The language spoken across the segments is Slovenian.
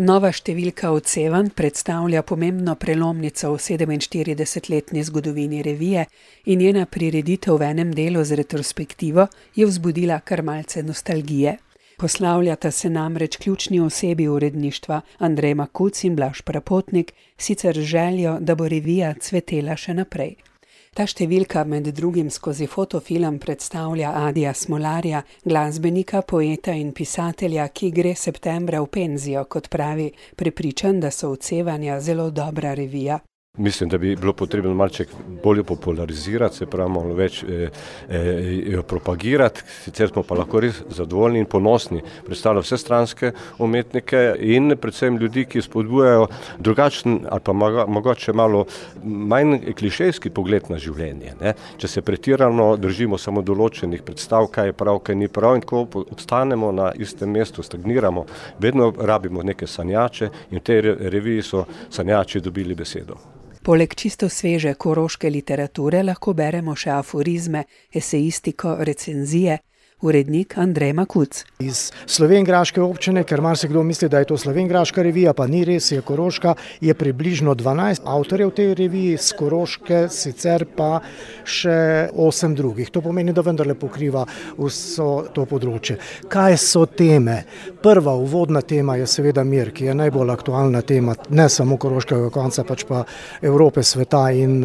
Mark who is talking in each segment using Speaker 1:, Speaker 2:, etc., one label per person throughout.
Speaker 1: Nova številka Odsevanj predstavlja pomembno prelomnico v 47-letni zgodovini revije in njena prireditev v enem delu z retrospektivo je vzbudila kar malce nostalgije. Poslavljata se namreč ključni osebi uredništva Andrej Makuc in Blaž Prapotnik, sicer z željo, da bo revija cvetela še naprej. Ta številka med drugim skozi fotofilm predstavlja Adija Smolarja, glasbenika, poeta in pisatelja, ki gre septembra v penzijo, kot pravi, prepričan, da so Odsevanja zelo dobra revija.
Speaker 2: Mislim, da bi bilo potrebno malček bolje popularizirati, se pravi malo več jo propagirati, sicer smo pa lahko res zadovoljni in ponosni predstavljati vse stranske umetnike in predvsem ljudi, ki spodbujajo drugačen ali pa mogoče malo manj klišejski pogled na življenje. Ne? Če se pretirano držimo samo določenih predstav, kaj je prav, kaj ni prav in tako ostanemo na istem mestu, stagniramo, vedno rabimo neke sanjače in v tej reviji so sanjači dobili besedo.
Speaker 1: Poleg čisto sveže koroške literature lahko beremo še aforizme, esejistiko, recenzije. Urednik Andrej Makuc.
Speaker 3: Iz slovenjgraške občine, ker marsikdo misli, da je to slovenjgraška revija, pa ni res, je koroška, je približno 12 avtorjev tej reviji, z Koroške sicer pa še 8 drugih. To pomeni, da vendarle pokriva vso to področje. Kaj so teme? Prva uvodna tema je seveda mir, ki je najbolj aktualna tema, ne samo koroškega konca, pač pa Evrope, sveta in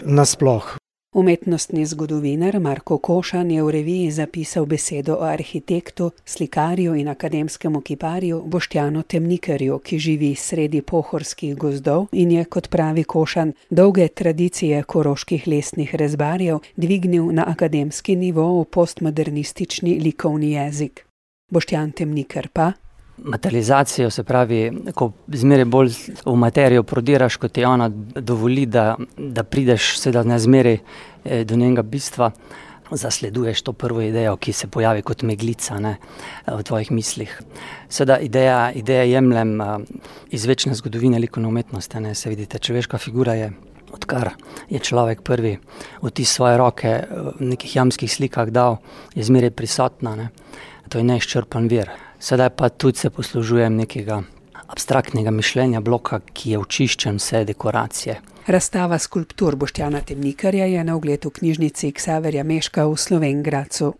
Speaker 3: nasploh.
Speaker 1: Umetnostni zgodovinar Marko Košan je v reviji zapisal besedo o arhitektu, slikarju in akademskemu kiparju Boštjanu Temnikarju, ki živi sredi pohorskih gozdov in je, kot pravi Košan, dolge tradicije koroških lesnih rezbarjev dvignil na akademski nivo v postmodernistični likovni jezik. Boštjan Temnikar pa
Speaker 4: materializacijo, se pravi, ko zmeraj bolj v materijo prodiraš, kot ti ona dovoli, da prideš seveda ne zmeraj do njenega bistva, zasleduješ to prvo idejo, ki se pojavi kot meglica, ne, v tvojih mislih. Seveda ideja jemljem iz večne zgodovine likovne umetnosti, ne, se vidite, človeška figura je, odkar je človek prvi vtis svoje roke v nekih jamskih slikah dal, je zmeraj prisotna, ne. To je neizčrpan vir. Sedaj pa tudi se poslužujem nekega abstraktnega mišljenja bloka, ki je očiščen vse dekoracije.
Speaker 1: Razstava skulptur Boštjana Temnikarja je na ogled v knjižnici Ksaverja Meška v Slovenj Gradcu.